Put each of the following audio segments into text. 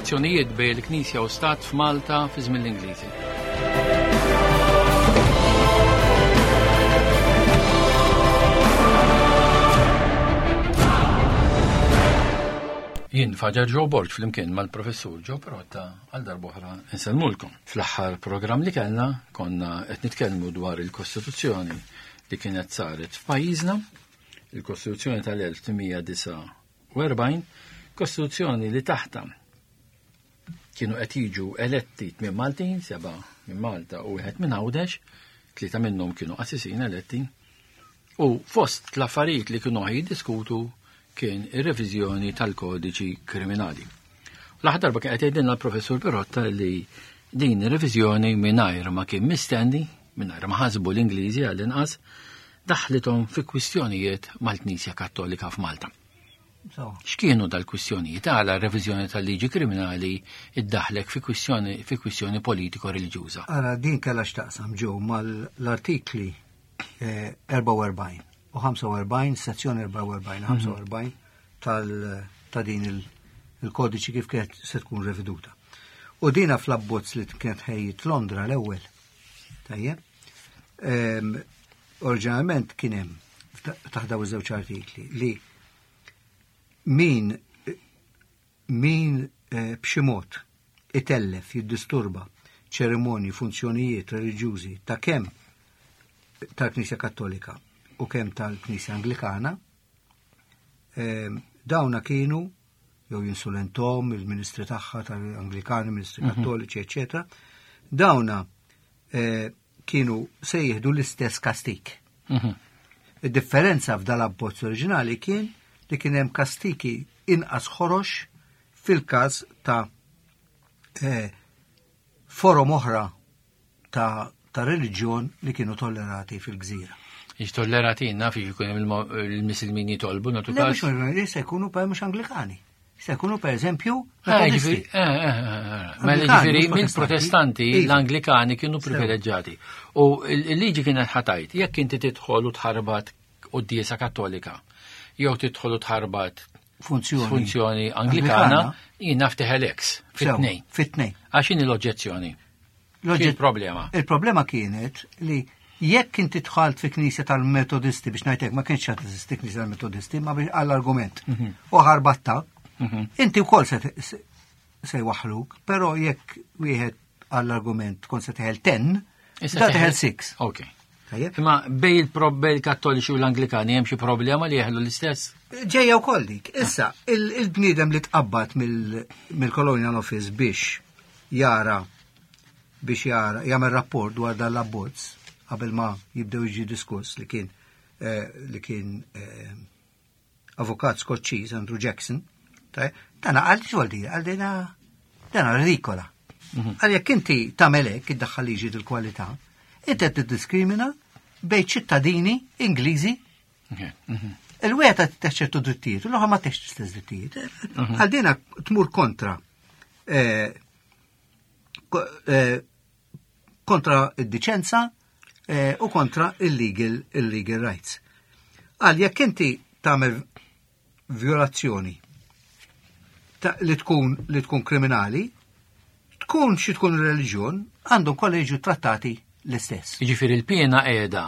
Ir-relazzjonijiet bejn il-Knisja u Stat f'Malta fi żmien l-Ingliżi. Jien Faġar Joe Borg flimkien mal-Professur Joe Protta għal darb'oħra nsellmulkom. Fl-aħħar programm li kellna konna qed nitkellmu dwar il-Kostituzzjoni li kienet saret f'pajjiżna, il-Kostituzzjoni tal-1849, Kostituzzjoni li taħta kienu qed jiġu eletti tmien Maltin, seba' minn Malta u wieħed minn Għawdex, tlieta minnhom kienu qassisin eletti, u fost l-affarijiet li kienu jiddiskutu kien ir-reviżjoni tal-kodiċi kriminali. L-aħħar darba kien qed jgħidilna l-Professur Pirotta li din ir-reviżjoni mingħajr ma kien mistenni, mingħajr ma ħasbu l-Ingliżi għall-inqas, daħlithom fi kwistjonijiet mal-Knisja Kattolika f'Malta. X'kienu dal-kwistjonijiet għala r-reviżjoni tal-liġi kriminali iddaħlek fi kwistjoni fi kwistjoni politiko-reliġjuża? Ara din kellha x'taqsam ġew mal-artikli 44 eh, u 45, sezzjoni 44, 45 tal ta' din il-kodiċi kif kienet se tkun reveduta. U dina fl-abbozz li kienet ħejjit Londra l-ewwel. Tajjeb. Ehm, oriġinalment kien hemm taħt daw iż-żewġ artikli li min min eh, b'xi mod itellef, jiddisturba ċerimonji, funzjonijiet reliġjużi ta' kemm tal-Knisja Kattolika u kemm tal-Knisja Anglikana, Ehm, dawna kienu jew jinsulentom il-ministri tagħha tal-Anglikani, ministri mhm. Kattoliċi, eċetera. Dawna eh, kienu se jieħdu l-istess kastik. Mhm. Id-differenza f'dal abbozz oriġinali kien li kien hemm kastiki inqas ħorox fil-każ ta' eh, forom oħra ta' ta' reliġjon li kienu tollerati fil-gżira. Ix tollerati naf jkun hemm il-misilmin jitolbu nagħtu każ. Le mhux se jkunu per mhux Anglikani. Se jkunu per eżempju eh, eh, eh, Mela ġifieri mill-Protestanti iva. l-Anglikani kienu privileġġati. U l-liġi kienet ħatajt, jekk inti tidħol u tħarbat quddiesa Kattolika, jew tidħol u tħarbat funzjoni, funzjoni Anglikana, jien naf teħel ex fit-tnejn. Fit-tnejn. Għax l-oġġezzjoni? Il-problema. Il-problema kienet li jekk inti dħalt fi knisja tal-Metodisti biex ngħidlek ma kienx qed teżisti knisja tal-Metodisti ma biex għall-argument mhm. u ħarbatta, mhm. inti wkoll se jwaħħluk, però jekk wieħed għall-argument tkun se teħel 10, da teħel 6. Ok. Imma bej il-probel kattoliċi u l-Anglikani hemm xi problema li jeħlu l-istess? Ġejja wkoll dik. Issa, il-bniedem li tqabbad mill-Colonial Office biex jara biex jara jagħmel rapport dwar dan l-abbozz qabel ma jibdew jiġi diskuss li kien eh, li kien eh, avukat Skoċċiż Andrew Jackson, dana għal xogħol di, għal dina dana ridikola. Mhm. Għal jekk inti tagħmel hekk iddaħħal liġi dil-kwalità, inti qed tiddiskrimina bejn ċittadini Ingliżi mhm. Il-wieħed qed ċertu drittijiet, u l-oħra ma tex l-istess drittijiet. Mhm. Għal dina tmur kontra eh, eh, kontra id-diċenza eh, u kontra il-legal il-legal rights. Għal jekk inti tagħmel violazzjoni li tkun li tkun kriminali, tkun xi tkun reliġjon, għandhom kollha jiġu trattati l-istess. Jiġifieri l-piena qiegħda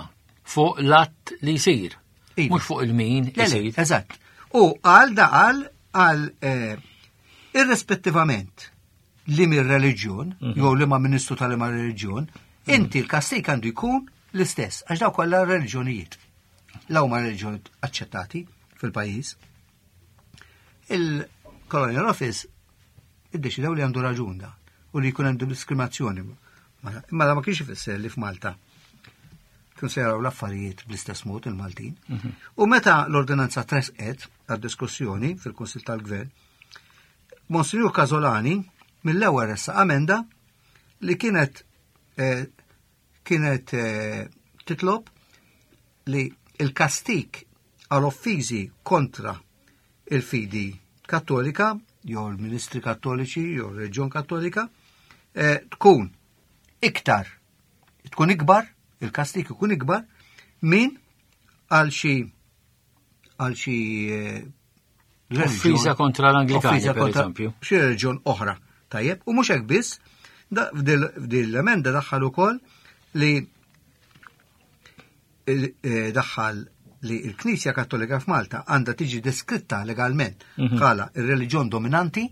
fuq l-att li jsir. Iva. Mhux fuq il-min isir. Eżatt. U għal da għal għal eh, irrispettivament li mir reliġjon mhm. jew li ma ministru tal-ma reliġjon, mhm. inti l-kastik għandu jkun l-istess, għax daw kollha reliġjonijiet. Law ma reliġjonijiet aċċettati fil-pajjiż. Il-Colonial Office iddeċidew li għandu raġun da u li jkun għandu diskriminazzjoni. Imma da ma kienx ifisser li f'Malta kienu se jaraw l-affarijiet bl-istess mod il-Maltin. Mhm. U meta l-ordinanza tresqet għad-diskussjoni fil-Kunsil tal-Gvern, Monsignor Casolani mill-ewwel ressaq amenda li kienet eh, kienet eh, titlob li il-kastik għal offiżi kontra il-fidi kattolika jew il-ministri kattoliċi jew il-reġjon kattolika eh, tkun iktar tkun ikbar, il-kastik ikun ikbar minn għal xi għal xi eh, Offiża kontra l-Anglikani, per eżempju. Xi reġjon oħra. Tajjeb, u mhux hekk biss, f'dil l-emenda daħħal ukoll li eh, daħħal li l-Knisja Kattolika f'Malta għandha tiġi deskritta legalment mhm. bħala ir-reliġjon dominanti,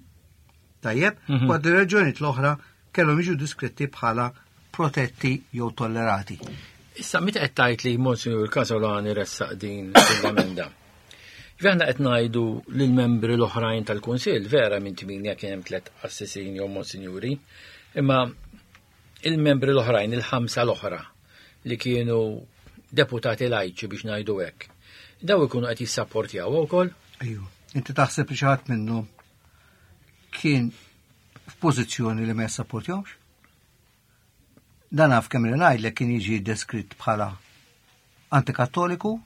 tajjeb, mhm. waqt ir-reliġjonijiet l-oħra kellhom jiġu deskritti bħala protetti jew tollerati. Issa meta qed tgħid li Monsignor Casolani ressaq din l-emenda. Aħna qed ngħidu lill-membri l-oħrajn tal-Kunsill, vera minn tminja kien hemm tliet qassisin jew monsinjuri, imma il-membri l-oħrajn, il-ħamsa l-oħra li kienu deputati lajċi biex ngħidu hekk. Daw ikunu qed jissapportjaw ukoll? Ejju, inti taħseb li xi ħadd minnhom kien f'pożizzjoni li ma jissapportjawx? Dan naf kemm li ngħidlek kien jiġi deskritt bħala antikattoliku,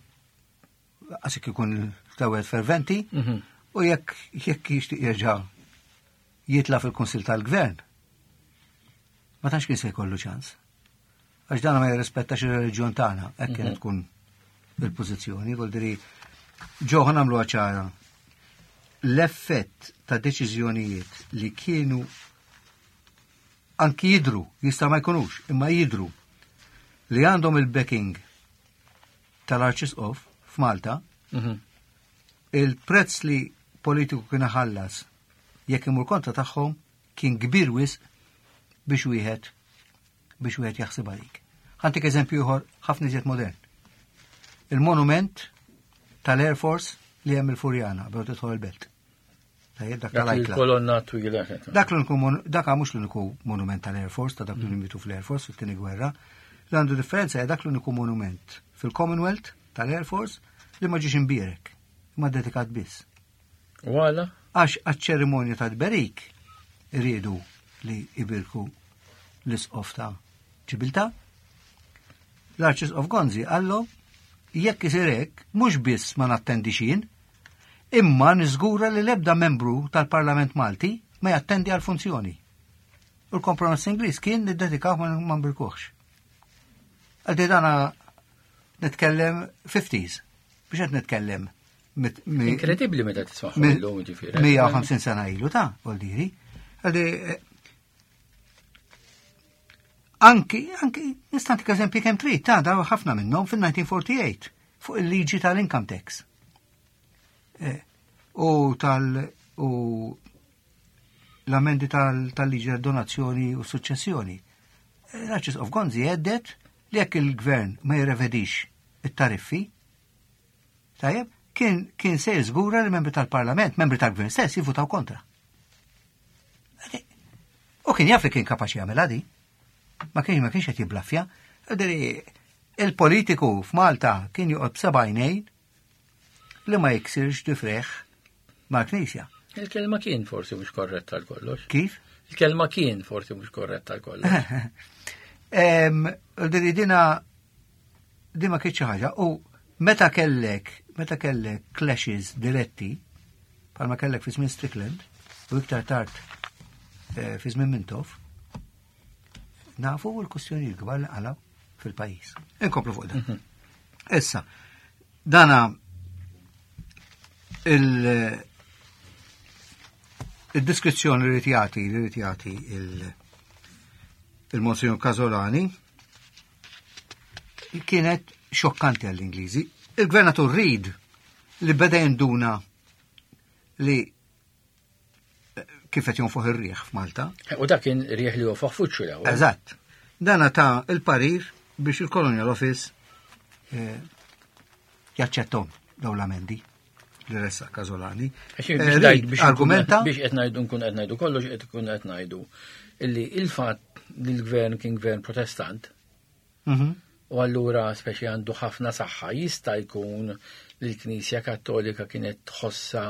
għasik ikun tewed ferventi, mhm. u jekk jekk jixtieq jerġa' jitla fil-Kunsil tal-Gvern, ma tantx kien se jkollu ċans. Għax dan ma jirrispettax ir-reliġjon tagħna, hekk kienet mhm. tkun il-pożizzjoni, diri ġo nagħmlu ċara. L-effett ta' deċiżjonijiet li kienu anki jidru, jista' ma jkunux, imma jidru li għandhom il-backing tal-Arċisqof f'Malta, mhm. il-prezz li politiku kien ħallas jekk imur kontra tagħhom kien kbir wisq biex wieħed biex wieħed jaħseb għalik. Ħantik eżempju ieħor ħafna iżjed modern. Il-monument tal-Air Force li hemm il-Furjana bdew tidħol il-belt. Tajjeb dak tal-ajkla. Kolonna twila. Dak l-uniku dak mhux l-uniku monument tal-Air Force ta' dak li mm. mitu fl-Air Force fit-tieni gwerra. Li għandu differenza hija dak l-uniku monument fil-Commonwealth tal-Air Force li ma ġiex imbierek, ma dedikat biss. U għala? Għax għaċ-ċerimonja ta' tberik iridu li ibirku l-isqof ta' ċibilta. L-Arċisqof Gonzi għallu jekk isir hekk mhux biss ma nattendix jien, Imma niżgura li l-ebda membru tal-Parlament Malti ma jattendi għall-funzjoni. U l-kompromess Ingliż kien niddedikaw ma nbirkuhx. Għaldi dana nitkellem 50s, biex qed nitkellem. Inkredibbli meta tisma' illum ġifieri. 150 sena ilu ta' voldiri. Għaldi eh, anki, anki, nistantik eżempji kemm trid, ta' daw ħafna minnhom fil-1948 fuq il-liġi tal-income tax. Eh, u tal u l-amendi tal-liġi tal-donazzjoni u suċċessjoni. Eh, L-Arċisqof Gonzi għeddet li jekk il-gvern ma jirrevedix it-tariffi, tajjeb, kien, kien se jiżgura li membri tal-parlament, membri tal-gvern stess jivvutaw kontra. U kien jaf li kien kapaċi jagħmel di. Ma kienx ma kienx qed jiblaffja. Il-politiku f'Malta kien joqgħod b'seba' għajnejn li ma jiksirx difreħ mal-Knisja. Il-kelma kien forsi mhux korretta għal kollox. Kif? Il-kelma kien forsi mhux korretta għal kollox. Dina di ma kienx ħaġa u meta kellek meta kellek clashes diretti bħalma kellek fi żmien Strickland u iktar tard eh, fi żmien Mintoff nafu l-kustjoni l-kbar li qalaw fil-pajjiż. Inkomplu fuq dan. Mhm. Issa, dana il- il-diskrizzjoni li jagħti li jagħti il-Monsignor Casolani kienet xokkanti għall-Ingliżi. Il-Gvernatur Reid li beda jinduna li kif qed jonfoħ ir-riħ f'Malta. U dak kien riħ li jonfoħ fuċċu l Eżatt. Dana ta' il-parir biex il-Colonial Office eh, jaċċettom daw l-amendi li ressa Kazolani. Eh, argumenta biex qed ngħidu nkun qed ngħidu kollox qed ikun qed ngħidu illi il-fatt li l-gvern kien gvern protestant mhm. u allura speċi għandu ħafna saħħa jista' jkun li l-Knisja Kattolika kienet tħossa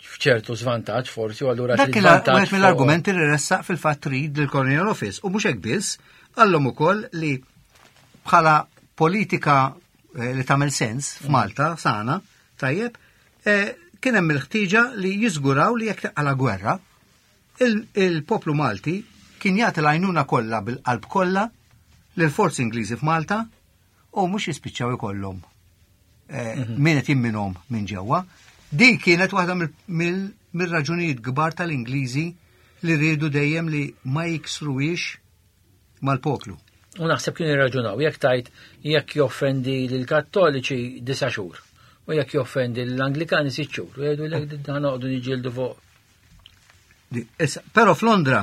f'ċertu żvantaġġ forsi u allura Dak kien wieħed mill-argumenti li ressaq fil-fatt trid lill-Colonial Office u mhux hekk biss, qallhom ukoll li bħala politika eh, li tagħmel sens f'Malta sana, tajjeb, eh, kien hemm il-ħtieġa li jiżguraw li jekk taqala gwerra, il-poplu Malti kien jagħti l-għajnuna kollha bil-qalb kollha lill-forzi Ingliżi f'Malta u mhux jispiċċaw ikollhom eh, mhm. min qed jimminhom minn ġewwa. Din kienet waħda mill-raġunijiet kbar tal-Ingliżi li rridu dejjem li ma jiksruwiex mal-poplu. U naħseb kienu jirraġunaw, jekk tajt jekk joffendi lill-Kattoliċi disa' xhur u jekk joffendi l-Anglikani sitt xhur, u jgħidu lek dan noqogħdu niġġieldu fuq. Issa, però f'Londra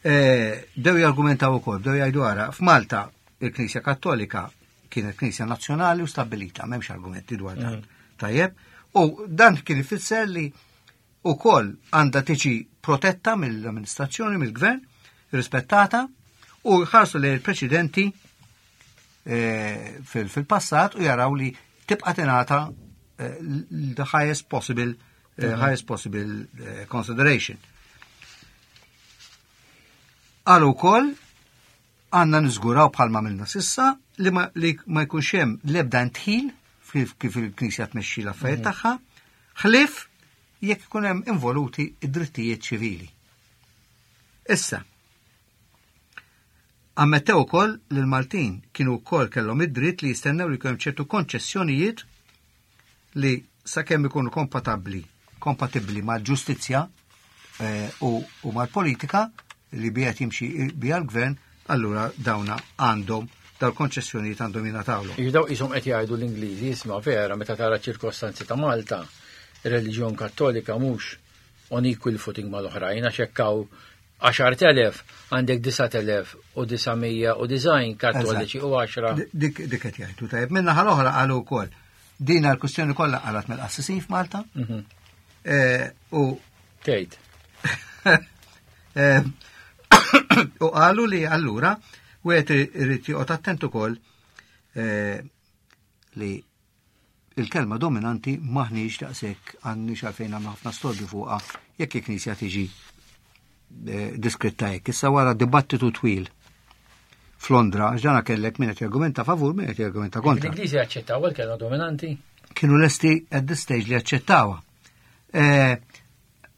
eh, dew jargumentaw ukoll, dew jgħidu ara, f'Malta il-Knisja Kattolika kienet Knisja nazzjonali u stabilita, m'hemmx argumenti dwar dan. Tajjeb, u dan kien ifisser li ukoll għandha tiġi protetta mill-amministrazzjoni, mill-gvern, rispettata u jħarsu lejn il-preċedenti eh, fil-passat u jaraw li tibqa' tingħata eh, the highest possible eh, mhm. highest possible consideration. Għal ukoll għandna niżguraw bħalma għamilna sissa li ma, li ma jkunx hemm l-ebda ndħil kif il-Knisja tmexxi l-affarijiet mhm. tagħha, ħlief jekk ikun hemm involuti id-drittijiet ċivili. Issa, ammettew ukoll li l-Maltin kienu wkoll kellhom id-dritt li jistennew li jkun hemm ċertu konċessjonijiet li sakemm ikunu kompatabbli kompatibbli mal-ġustizzja eh, u, u mal-politika li bija jimxi bija l-gvern, allura dawna għandhom dal-konċessjonijiet għandhom jingħatawlhom. Jibdaw qishom qed jgħidu l-Ingliżi, isma' vera meta tara ċirkostanzi ta' Malta, ir-reliġjon Kattolika mhux on equal footing mal-oħrajn għax hekk hawn 10,000 għandek 9,990 kattoliċi u 10. Dik qed jgħidu tajjeb. Minna ħal-oħra qalu wkoll din l-kwistjoni kollha qalat mill-qassisin f'Malta. Mhm. Eh, u tgħid. Eh, u qalu li allura wieħed irid joqgħod attent ukoll eh, li il-kelma dominanti maħniex daqshekk għandniex għalfejn għamlu ħafna storbju fuqha jekk il-Knisja tiġi eh, diskritta hekk. Issa wara dibattitu twil f'Londra, għax dana kellek min qed jargumenta favur, min qed jargumenta kontra. L-Ingliżi jaċċettaw il-kelma dominanti? Kienu lesti at this stage li jaċċettawha. Eh,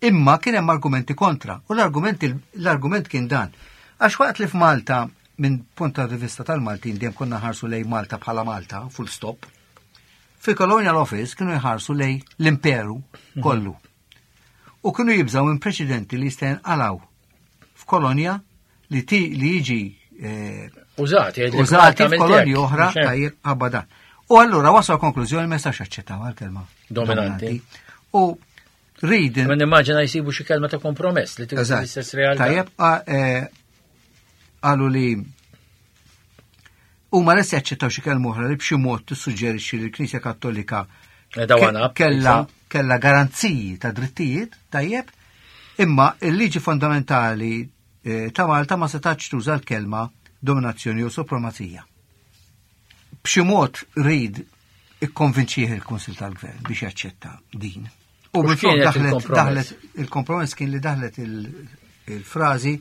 imma kien hemm argumenti kontra u l-argument l-argument kien dan. Għax waqt li f'Malta minn punt ta' vista tal-Maltin dejjem konna ħarsu lej Malta bħala Malta, full stop. Fil-Colonial Office kienu jħarsu lej l-imperu mhm. kollu. U kienu jibżaw minn preċedenti li jista' jinqalaw f'kolonja li ti li jiġi eh, użati użati f'kolonji oħra tajjeb ħabba dan. U allura wasal konklużjoni ma jistax jaċċettaw għal-kelma dominanti. U Read. Ma nimmaġina jsibu xi kelma ta' kompromess li tuża l-istess realtà. Tajjeb, eh, qalu li huma lesti jaċċettaw xi kelma oħra li b'xi mod tissuġġerixxi li l-Knisja Kattolika eh, kella kella garanziji ta' drittijiet, tajjeb, imma il-liġi fondamentali eh, ta' Malta ma setax tuża l-kelma dominazzjoni u supremazija. B'xi mod Reid ikkonvinċih il-Kunsil tal-Gvern biex jaċċetta din. U minflok daħlet daħlet il-kompromess kien li daħlet il-frażi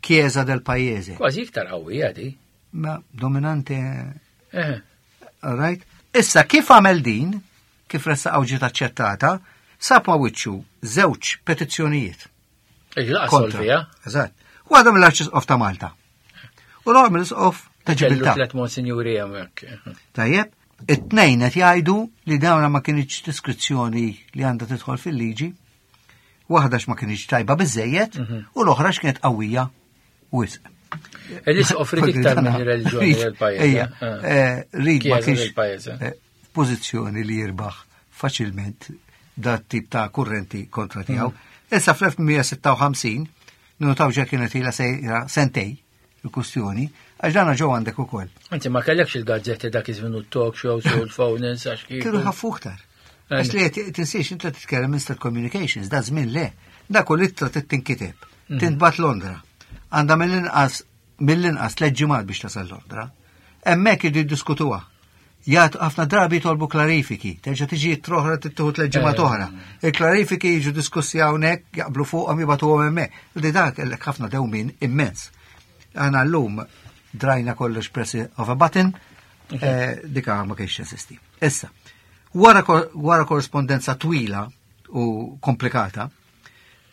Chiesa del Paese. Kważi iktar qawwija di. Ma dominante. Eh. All right. Issa kif għamel din, kif ressaqgħu ġiet aċċettata, sab ma wiċċu żewġ petizzjonijiet. Kontra. Eżatt. Waħda mill-Arċisqof ta' Malta. U l-oħra mill-Isqof ta' Ġibiltà. Tlet monsinjuri hemmhekk. Tajjeb, it-tnejn qed jgħidu li dawna ma kienx diskrizzjoni li għandha tidħol fil-liġi, waħda ma kienx tajba biżejjed mhm. u l-oħra x'kienet qawwija wisq. L-isqof rid iktar minn reliġjoni l-pajjiż. Ejja, eh. eh, rid ma kienx eh, pożizzjoni li jirbaħ faċilment dat tip ta' kurrenti kontra tiegħu. Mhm. Issa fl-1856 Ninotaw ġa kienet ilha sejra sentej il-kustjoni, għax dana ġew għandek ukoll. Anzi ma kellekx il-gazzetti dak iż-żmien u talk shows u l-phone-ins għax kieku. Kienu ħaffu iktar. Għax li tinsiex inta titkellem instant communications, da żmien le. Da kull ittra titinkiteb, mhm. tintbat Londra. Għandha mill-inqas mill-inqas tliet ġimgħat biex tasal Londra. Hemmhekk idu jiddiskutuha. Jgħat ħafna drabi jitolbu klarifiki, terġa' tiġi troħra tittieħu tliet ġimgħat eh. oħra. Il-klarifiki jiġu diskussi hawnhekk jaqblu fuqhom jibgħatuhom hemmhekk. Li dak kellek ħafna dewmin immens. Aħna llum drajna kollox press of a button, eh, dika ma kienx jeżisti. Issa, wara, wara korrespondenza twila u komplikata,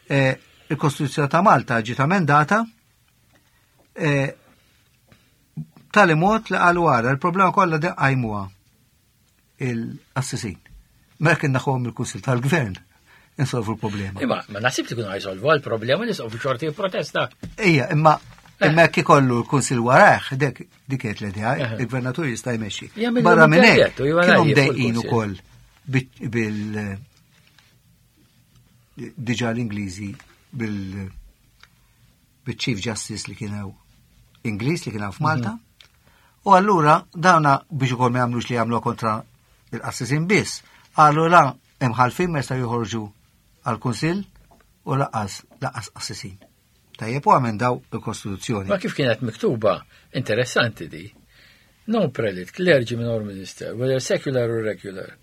eh, il-Kostituzzjoni ta' Malta ġiet amendata Tali mod li qalu għara, il-problema kollha qajmuha il-qassisin. Mela kien naħuhom il-Kunsil tal-Gvern. insolvu l-problema. Imma ma nasib li kienu ħajsolvu għal-problema li sofu xorti protesta. Ija, imma eh. imma jekk ikollu l-kunsil warajh, dek dik kienet l-idea, eh. il-gvernatur jista' jmexxi. Barra minn hekk, kienu mdejqin ukoll bil diġà l-Ingliżi bil bil-Chief Justice li kien Ingliż li kien f'Malta. Mhm. U allura dawna biex ukoll ma jagħmlux li jagħmlu kontra il-qassisin biss, qalu la imħalfin ma jistgħu joħorġu għall-Kunsill u laqas laqas qassisin. Tajjeb u għamendaw il-Kostituzzjoni. Ma kif kienet miktuba, interessanti di. No prelate, clergyman or minister, whether secular or regular,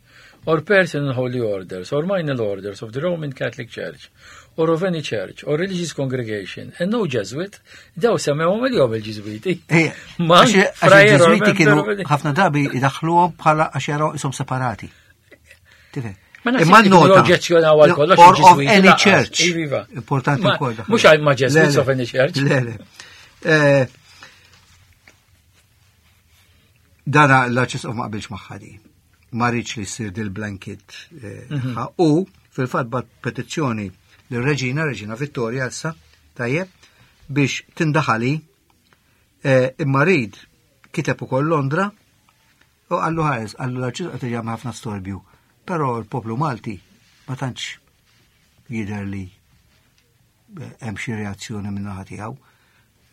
or person in holy orders, or minor orders of the Roman Catholic Church, or of any church, or religious congregation, and no Jesuit, daw semmewhom il-jom il-Ġiżwiti. Eh, Ma il-Ġiżwiti kienu ħafna drabi idaħħluhom bħala għax jaraw ishom separati. Tifhem? Imma nota. Oġġezzjonaw għal kollox. Or of any church. Iva. Importanti wkoll. Mhux għal ma Jesuits of any church. Le, le. Eh, dana l-arċisqof ma qabilx magħha di. Ma rridx li ssir dil-blanket. Eh, mhm. U fil-fatt bat petizzjoni lir-reġina, Reġina Vittoria issa, tajjeb, biex tindaħali eh, imma rid kiteb ukoll Londra u qallu ħares, qallu l-arċisqof qed jagħmel ħafna storbju, però l-poplu Malti ma tantx jidher li eh, hemm xi reazzjoni minn naħa tiegħu.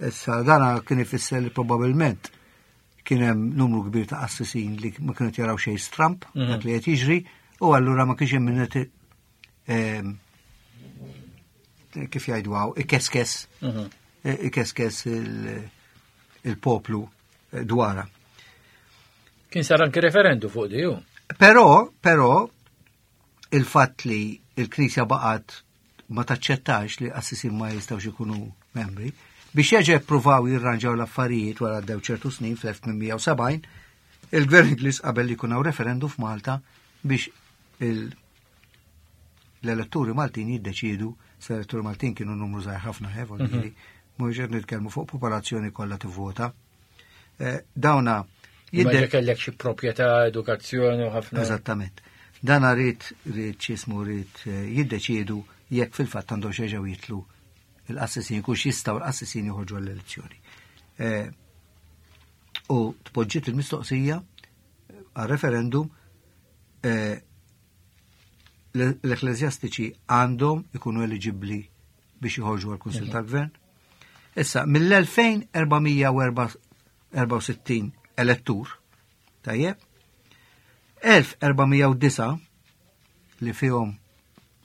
Issa dana kien ifisser li probabbilment kien hemm numru kbir ta' qassisin li ma kienu jaraw xejn stramp mhm. dak li qed jiġri u allura ma kienx hemm min ehm, kif jgħidu hawn ikeskes mhm. ikeskes il-poplu eh, dwara. Kien sar anki referendu fuq di Però, però, il-fatt li il-Knisja baqgħet ma taċċettax li qassisin ma jistgħux ikunu membri, biex jerġa' jippruvaw jirranġaw l-affarijiet wara għaddew ċertu snin fl-1870, il-Gvern Ingliż qabel li jkun hawn referendum f'Malta biex l-elettori Maltin jiddeċiedu, se l-elettori Maltin kienu numru żgħir ħafna, eh, mhm. mhux qed nitkellmu fuq popolazzjoni kollha tivvota. Eh, dawna jidher kellek xi proprjetà, edukazzjoni u ħafna. Eżattament. Dana rrid rrid x'ismu rrid eh, jiddeċiedu jekk fil-fatt għandhom xeġgħu jitlu il-qassisin kux jistgħu l-qassisin joħorġu għall-elezzjoni. Eh, u tpoġġiet il-mistoqsija għal referendum l-ekklesjastiċi għandhom ikunu eliġibbli biex joħorġu għal kunsil tal-Gvern. Issa, mill-2464 elettur, tajjeb, 1409 li fihom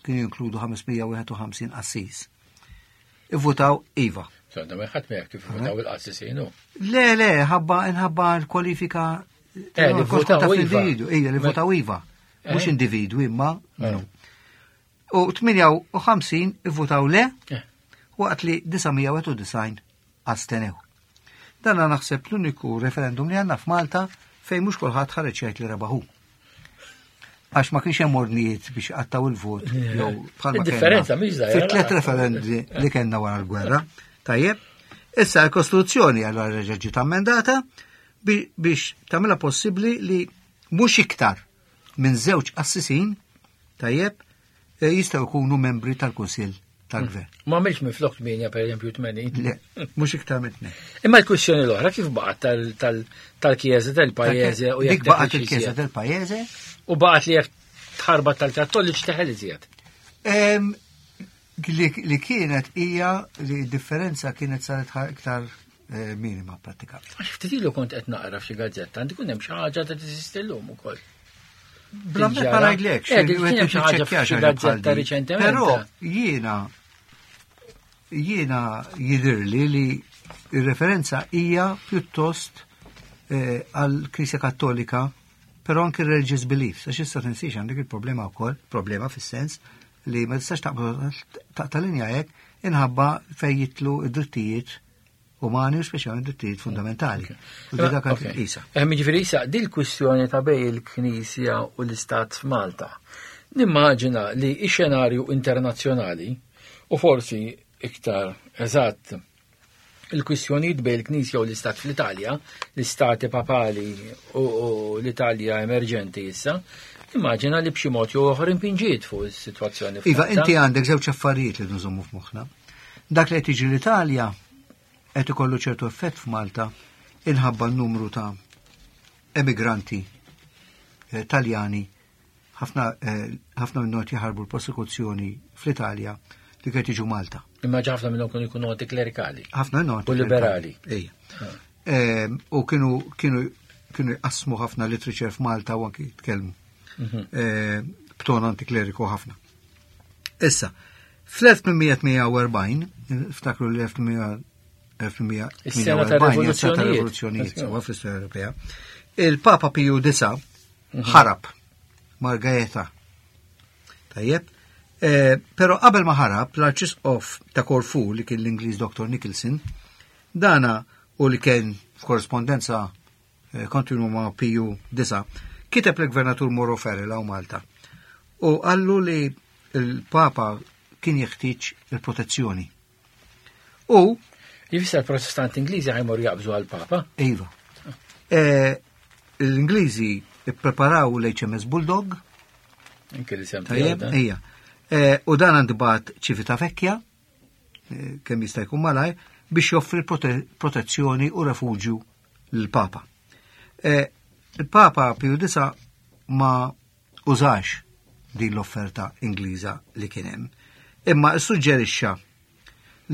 kienu jinkludu 551 qassis, ivvutaw iva. Sodda, ma ħadd ma jaf kif votaw il-qassisin hu. Le, le, ħabba inħabba l-kwalifika eh, li votaw iva. Ija, li votaw iva. Mhux eh. individwi imma. Eh. U 58 ivvutaw le, eh. waqt li 991 astenew. Dan naħseb l-uniku referendum li għandna f'Malta fejn mhux kulħadd ħareġ jgħid li rebaħu. Għax ma kienx hemm ordnijiet biex qattaw il-vot jew bħalma Differenza mhix żgħira. Fit-tliet referendi li kellna wara l-gwerra. Tajjeb, issa l-Kostituzzjoni allura reġa' ġiet ammendata biex tagħmilha possibbli li mhux iktar minn żewġ qassisin tajjeb eh, jistgħu jkunu membri tal-Kunsill tal-Gvern. Ma għamilx minn flok 8 per eżempju 80. Le, mhux iktar minn tnejn. Imma l-kwistjoni l-oħra kif baqgħet tal-Kjeza tal-Pajjeże u jekk baqgħet il-Kjeza tal-Pajjeże u baqgħet li jekk tħarbat tal-Kattoliċ teħel iżjed. Li kienet hija li differenza kienet saret iktar eh, minima pratikament. Għax ftit ilu kont qed naqra f'xi gazzetta, għandi kun hemm xi ħaġa ta' teżisti llum ukoll. Bla ma ngħidlek, eh, kien hemm xi ħaġa f'xi gazzetta riċentement. Però jiena jiena jidhirli li ir-referenza hija pjuttost eh, għal Knisja Kattolika però anki religious beliefs, għax issa tinsiex għandek il-problema wkoll, problema fis-sens li ma tistax taqta' linja hekk inħabba fejn jitlu id-drittijiet umani u speċjalment drittijiet fundamentali. U di dak isa. Hemm jiġifieri isa dil kwistjoni ta' bej il-Knisja u l-Istat f'Malta. Nimmaġina li x-xenarju internazzjonali u forsi iktar eżatt il-kwistjonijiet bejn il-Knisja u l-Istat fl-Italja, l-Istati Papali u l-Italja emerġenti issa, Immaġina li b'xi mod jew oħra impinġiet fuq is-sitwazzjoni. Iva, inti għandek żewġ affarijiet li nżommu f'moħħna. Dak li qed jiġri l-Italja qed ikollu ċertu effett f'Malta inħabba n-numru ta' emigranti eh, Taljani ħafna eh, ħafna minnhom qed jaħarbu l-prosekuzzjoni fl-Italja li qed jiġu Malta. Imma ħafna minnhom kienu jkunu antiklerikali. Ħafna minnhom U liberali. Ejja. Ah. Ehm, u kienu kienu kienu jqassmu ħafna literature f'Malta u anki jitkellmu. Mhm. Ehm, b'ton antikleriku ħafna. Issa, fl-1848, ftakru l-1848 ta' rivoluzzjonijiet sewwa fl-istorja Ewropea, il-Papa Piju IX mhm. ħarab mar Gaeta. Tajjeb, eh, pero qabel ma ħarab l-Arċisqof ta' Korfu li kien l-Ingliż Dr. Nicholson, dana u li kien f'korrespondenza eh, kontinwu ma' Piju IX, kiteb l-Gvernatur Moro Ferrel hawn Malta u qallu li l-Papa kien jeħtieġ il-protezzjoni. U Jifisser protestanti Ingliżi ħajmur jaqbżu għal-Papa? Iva. Eh, l-Ingliżi ippreparaw l-HMS Bulldog. Anke li sem Ija. Eh, u dan għandu Ċivita Vecchia, eh, kemm jista' jkun malaj, biex joffri protezzjoni u refuġju l-Papa. Il-Papa Piju IX ma użax din l-offerta Ingliża li kien hemm, imma ssuġġerixxa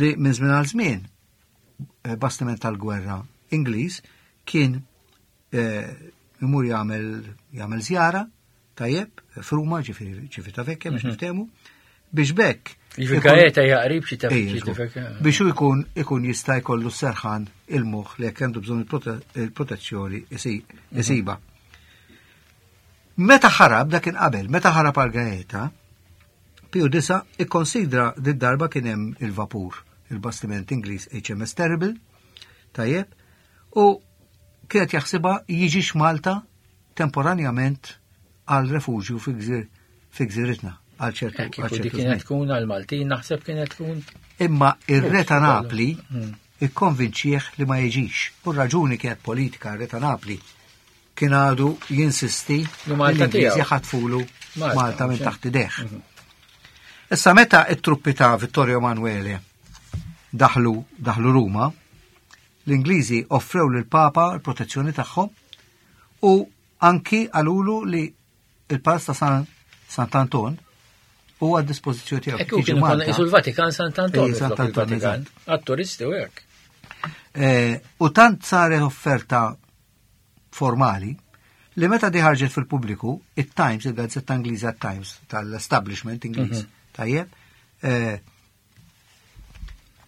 li minn żmien għal żmien eh, bastiment tal-gwerra Ingliż kien eh, imur jagħmel jagħmel żjara tajjeb f'Ruma ġifieri ċivita vecchia biex mhm. niftehmu biex bekk. Ġifieri Gaeta jaqrib xi taf Biex hu jkun ikun jista' jkollu serħan il-moħħ li jekk għandu bżonn il-protezzjoni mhm. isiba. Meta ħarab, dak kien qabel, meta ħarab għal Gaeta, Piju Disa ikkonsidra dit darba kien hemm il-vapur, il-bastiment Ingliż HMS Terrible, tajjeb, u kienet jaħsibha jiġix Malta temporanjament għal refuġju fi gżiritna għal ċertu. Eh, kieku dik kienet tkun għal Maltin naħseb kienet tkun. Imma ir-re ta' Napli hmm. ikkonvinċieħ li ma jiġix. U raġuni kienet politika r-re ta' Napli kien għadu jinsisti li l-Ingliżi ħatfulu Malta minn taħt idejh. Mhm. Issa meta it-truppi ta' Vittorio Emanuele daħlu daħlu Ruma, l-Ingliżi offrew lil Papa l-protezzjoni tagħhom u anki qalulu li il-Palazz ta' San Sant'Anton huwa għad dispożizzjoni tiegħu. Ekku kienu konna isu l-Vatikan Sant'Anton. Sant'Anton, għat-turisti u hekk. Eh, u tant saret offerta formali li meta di ħarġet fil-pubbliku, it-Times, il-gazzetta Ingliża Times tal-establishment Ingliż, mhm. tajjeb, eh,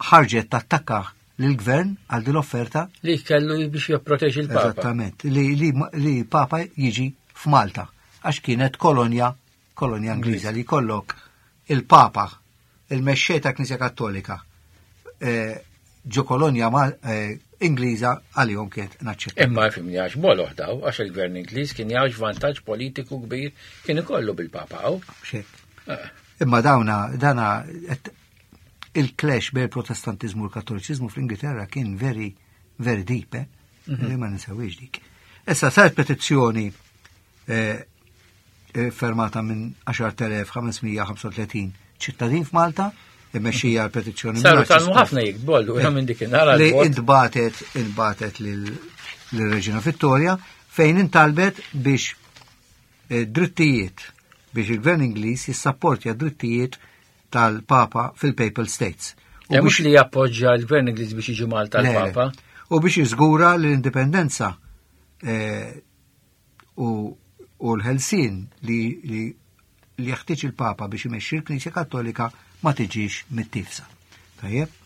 ħarġet tattakka lill-gvern għal din l-offerta. Li kellu biex jipproteġi l-Papa. Eżattament, li, li, li Papa jiġi f'Malta, għax kienet kolonja, kolonja Ingliża li kollok il-Papa, il-mexxej ta' Knisja Kattolika, eh, ġo kolonja eh, Ingliża għalihom kienet naċċetta. Imma fimni għax boloħ daw, għax il-gvern Ingliż kien jgħax vantaġġ politiku kbir kien ikollu bil-Papa hawn. Xek. Eh. Imma dawna, dana, il-clash bejn il-Protestantiżmu u l-Kattoliċiżmu fl-Ingilterra kien very, very deep, eh? Mm -hmm. Ma ninsewix dik. Issa saret petizzjoni eh, eh, fermata minn 10,535 ċittadin f'Malta, immexxija l-petizzjoni. Saru talmu ħafna jikbu allura minn dik in-nhar Li intbatet intbatet lil-Reġina Vittoria fejn intalbet biex eh, drittijiet biex il-Gvern Ingliż jissapportja drittijiet tal-Papa fil-Papal States. U eh, mhux li jappoġġja l-Gvern Ingliż biex jiġi Malta l-Papa. U biex jiżgura l-indipendenza eh, u l-ħelsien li li jeħtieġ il-Papa biex imexxi l-Knisja Kattolika ma tiġix mittifsa. Tajjeb?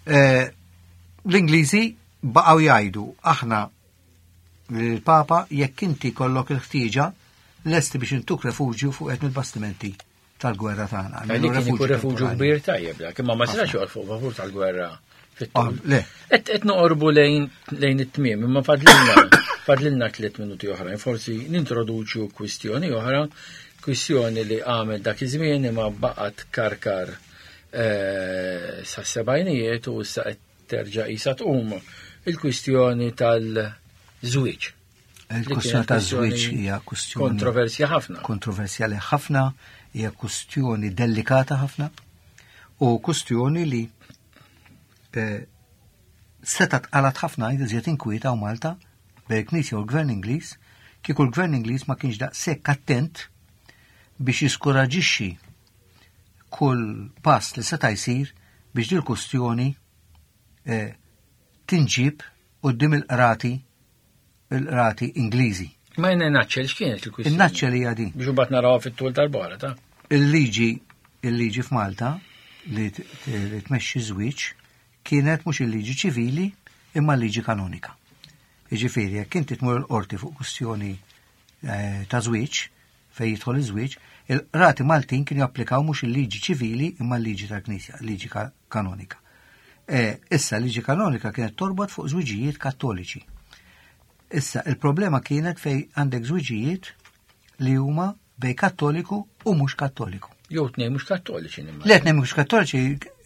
Eh, l-Ingliżi baqgħu jgħidu aħna l-Papa jekk inti kollok il-ħtieġa lesti biex intuk refuġju fuq qed mill-bastimenti tal-gwerra tagħna. Li kien ikun refuġju kbir tajjeb dak, imma ma setax joqgħod fuq vapur tal-gwerra fit-tul. Ah, le. Qed noqorbu lejn lejn it-tmiem, imma fadlilna fadlilna tliet minuti oħrajn, forsi nintroduċu kwistjoni oħra, kwistjoni li għamel dak iż-żmien imma baqgħet karkar eh, sa sebgħinijiet u issa qed terġa' qisha tqum il-kwistjoni tal-żwieġ. Il-kwestjoni ta' żwieġ hija kwestjoni kontroversja ħafna. Kontroversjali ħafna, hija kwestjoni delikata ħafna u kwestjoni li eh, seta tqalat ħafna iżjed inkwieta u Malta bejn il-Knisja u l-Gvern Ingliż, kieku l-Gvern Ingliż ma kienx daqshekk attent biex jiskoraġixxi kull pass li seta' jsir biex dil kustjoni eh, tinġib quddiem il-qrati il-qrati Ingliżi. Ma jena naċċel x'kienet il-kwistjoni? Il-naċċel hija din. Biex imbagħad narawha fit-tul tal-bora ta' Il-liġi il-liġi f'Malta li tmexxi żwieġ kienet mhux il-liġi ċivili imma l-liġi kanonika. Jiġifieri jekk inti tmur il-qorti fuq kwistjoni eh, ta' żwieġ fejn jidħol iż-żwieġ, il-qrati Maltin kienu japplikaw mhux il-liġi ċivili imma l-liġi tal-Knisja, l-liġi kanonika. E, issa l-liġi kanonika kienet torbot fuq żwiġijiet kattoliċi. Issa il-problema kienet fej għandek żwiġijiet li huma bej kattoliku u mhux kattoliku. Jew tnej mhux kattoliċi nimma. Le tnej mhux kattoliċi,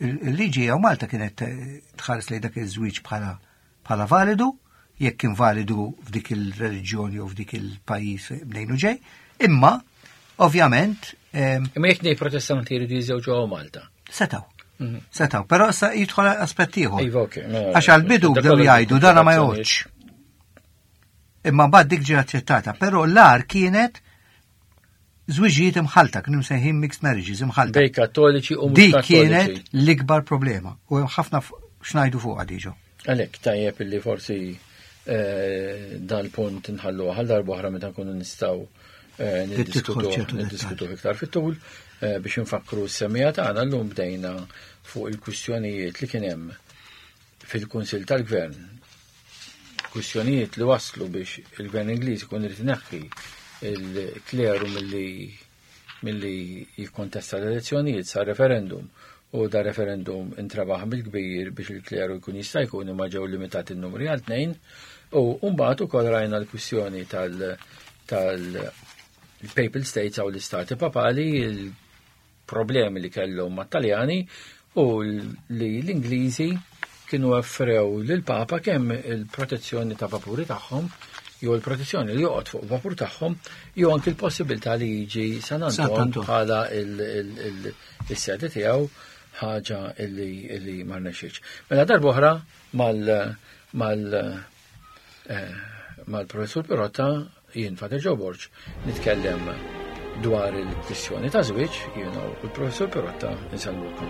il-liġi jew Malta kienet eh, tħares lejn dak iż-żwieġ bħala bħala validu, jekk kien validu f'dik il-reliġjoni u f'dik il-pajjiż mnejn u ġej, imma ovvjament. Imma jekk nej protestanti jridu jiżewġu għaw Malta. Setaw. Mhm. Setaw, però sa jidħol aspett ieħor. Iva, mela, Għax għal-bidu bdew jgħidu dana ma joqgħodx. Imma mbagħad dik ġiet aċċettata, però l-ar kienet żwiġijiet imħalta, kienu msejħin mixed marriages imħalta. Bej kattoliċi u mhux Dik kienet l-ikbar problema u hemm ħafna x'ngħidu fuqha diġo. Għalhekk tajjeb illi forsi eh, dal-punt nħallu għal darba oħra meta nkunu nistgħu eh, niddiskutu iktar fit-tul eh, biex nfakru s-semija tagħna llum bdejna fuq il-kwistjonijiet li kien hemm fil-Kunsill tal-Gvern kwistjonijiet li waslu biex il-Gvern Ingliż ikun irid ineħħi il-kleru milli milli jikkontesta l-elezzjonijiet sa referendum u da referendum intrabaħ bil-kbir biex il-kleru jkun jista' jkun imma ġew limitati n-numri għal tnejn u mbagħad ukoll rajna l-kwistjoni tal tal papal states għaw l-istati papali problemi li kellhom mat-Taljani u li l-Ingliżi kienu offrew lill-Papa kemm il-protezzjoni ta' vapuri tagħhom jew il-protezzjoni li joqgħod fuq vapur tagħhom jew anki l-possibilità li jiġi San Anton bħala il-sede tiegħu ħaġa illi ma rnexxietx. Mela darb'oħra mal mal eh, mal-professur Pirotta Jien Father Joe Borg nitkellem dwar il-kwistjoni ta' żwieġ, jiena u l-professur Pirotta insellmulkom.